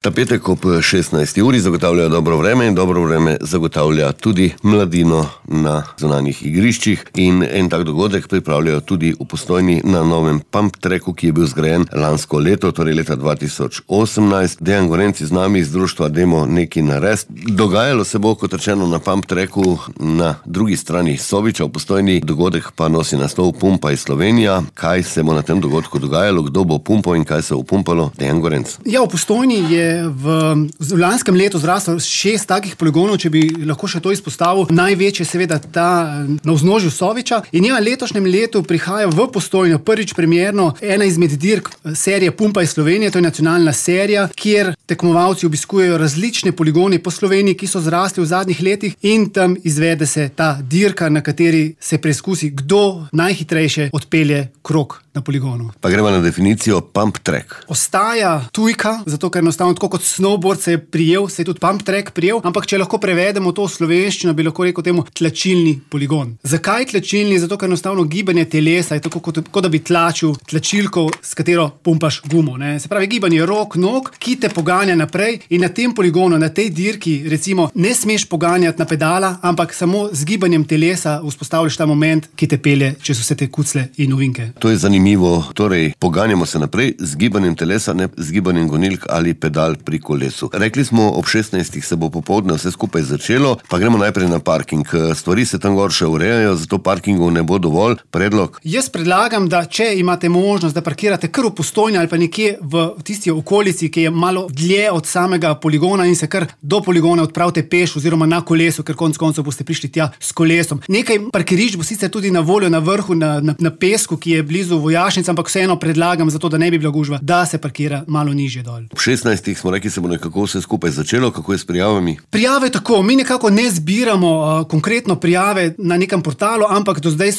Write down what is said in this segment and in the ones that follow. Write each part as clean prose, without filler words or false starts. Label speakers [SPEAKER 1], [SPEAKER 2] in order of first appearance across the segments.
[SPEAKER 1] Ta petek ob 16. uri zagotavlja dobro vreme in dobro vreme zagotavlja tudi mladino na zunanjih igriščih in en tak dogodek pripravljajo tudi v Postojni na novem pump tracku, ki je bil zgrajen lansko leto, torej leta 2018. Dejan Gorenc z nami iz društva Dajmo nekaj narediti. Dogajalo se bo, kot rečeno, na pump tracku na drugi strani Soviča v Postojni, dogodek pa nosi naslov Pumpaj Slovenija. Kaj se bo na tem dogodku dogajalo, kdo bo pumpal in kaj se bo pumpalo? Dejan Gorenc.
[SPEAKER 2] Ja, v Postojni je v lanskem letu zraslo 6 takih poligonov, če bi lahko še to izpostavil. Največji je seveda ta na vznožju Soviča. In ja, letošnjem letu prihaja v Postojno prvič premierno ena izmed dirk serije Pumpaj Slovenija, to je nacionalna serija, kjer tekmovalci obiskujejo različne poligone po Sloveniji, ki so zrasli v zadnjih letih, in tam izvede se ta dirka, na kateri se preizkusi, kdo najhitrejše odpelje krog na poligonu.
[SPEAKER 1] Pa gremo na definicijo pump track.
[SPEAKER 2] Ostaja tujka, zato ker enostavno tako kot snowboard se je prijel, se je tudi pump track prijel, ampak če lahko prevedemo to v slovenščino, bi lahko rekel temu tlačilni poligon. Zakaj tlačilni? Zato ker enostavno gibanje telesa je tako, kot da bi tlačil tlačilko, s katero pumpaš gumo, ne? Se pravi, gibanje rok, nog, ki te poganja naprej, in na tem poligonu, na tej dirki, recimo, ne smeš poganjati na pedala, ampak samo z gibanjem telesa vzpostavljaš ta moment, ki te pelje čez vse te kucle in ovinke.
[SPEAKER 1] To je zanimivo, torej poganjamo se naprej z gibanjem telesa, ne z gibanjem gonilk ali pedal pri kolesu. Rekli smo, ob 16. se bo popoldne vse skupaj začelo, pa gremo najprej na parking. Stvari se tam gor še urejajo, zato parkingov ne bo dovolj. Predlog?
[SPEAKER 2] Jaz predlagam, da če imate možnost, da parkirate kar v Postojni ali pa nekje v tisti okolici, ki je malo dlje od samega poligona, in se kar do poligona odpravite peš oziroma na kolesu, ker konec koncev boste prišli tja s kolesom. Nekaj parkirišč bo sicer tudi na voljo na vrhu, na pesku, ki je blizu vojašnic, ampak vseeno predlagam, zato da ne bi bila gužva, da se parkira malo nižje dol.
[SPEAKER 1] Ob 16. smo rekli, se bo nekako vse skupaj začelo. Kako je s prijavami?
[SPEAKER 2] Prijave tako, mi nekako ne zbiramo konkretno prijave na nekem portalu, ampak do zdaj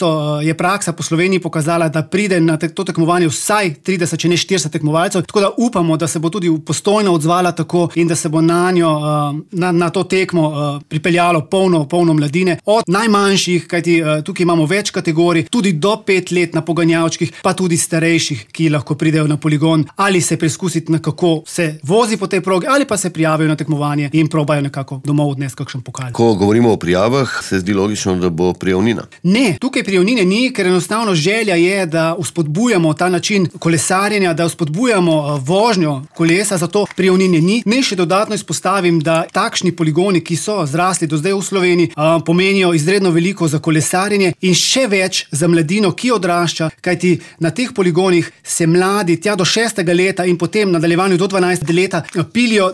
[SPEAKER 2] je praksa po Sloveniji pokazala, da pride na to tekmovanje vsaj 30, če ne 40 tekmovalcev, tako da upamo, da se bo tudi Postojna odzvala tako in da se bo na to tekmo pripeljalo polno mladine, od najmanjših, kajti tukaj imamo več kategorij, tudi do 5 let na poganjavčkih, pa tudi starejših, ki lahko pridejo na poligon ali se preizkusiti, na kako se vozi po tej progi, ali pa se prijavijo na tekmovanje in probajo nekako domov odnesti kakšen pokal.
[SPEAKER 1] Ko govorimo o prijavah, se zdi logično, da bo prijavnina.
[SPEAKER 2] Ne, tukaj prijavnine ni, ker enostavno želja je, da vzpodbujamo ta način kolesarjenja, da vzpodbujamo vožnjo kolesa, zato prijavnine ni. Ne, še dodatno izpostavim, da takšni poligoni, ki so zrasli do zdaj v Sloveniji, pomenijo izredno veliko za kolesarjenje in še več za mladino, ki odrašča, kajti na teh poligonih se mladi tja do 6. leta in potem nadaljevanju do 12. leta pilijo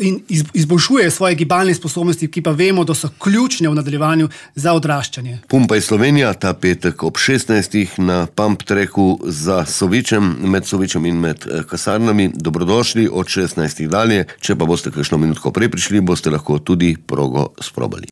[SPEAKER 2] in izboljšujejo svoje gibalne sposobnosti, ki pa vemo, da so ključne v nadaljevanju za odraščanje.
[SPEAKER 1] Pumpaj Slovenija ta petek ob 16. na pump tracku za Sovičem, med Sovičem in med kasarnami. Dobrodošli od 16. dalje. Če pa boste kakšno minutko prej prišli, boste lahko tudi progo sprobali.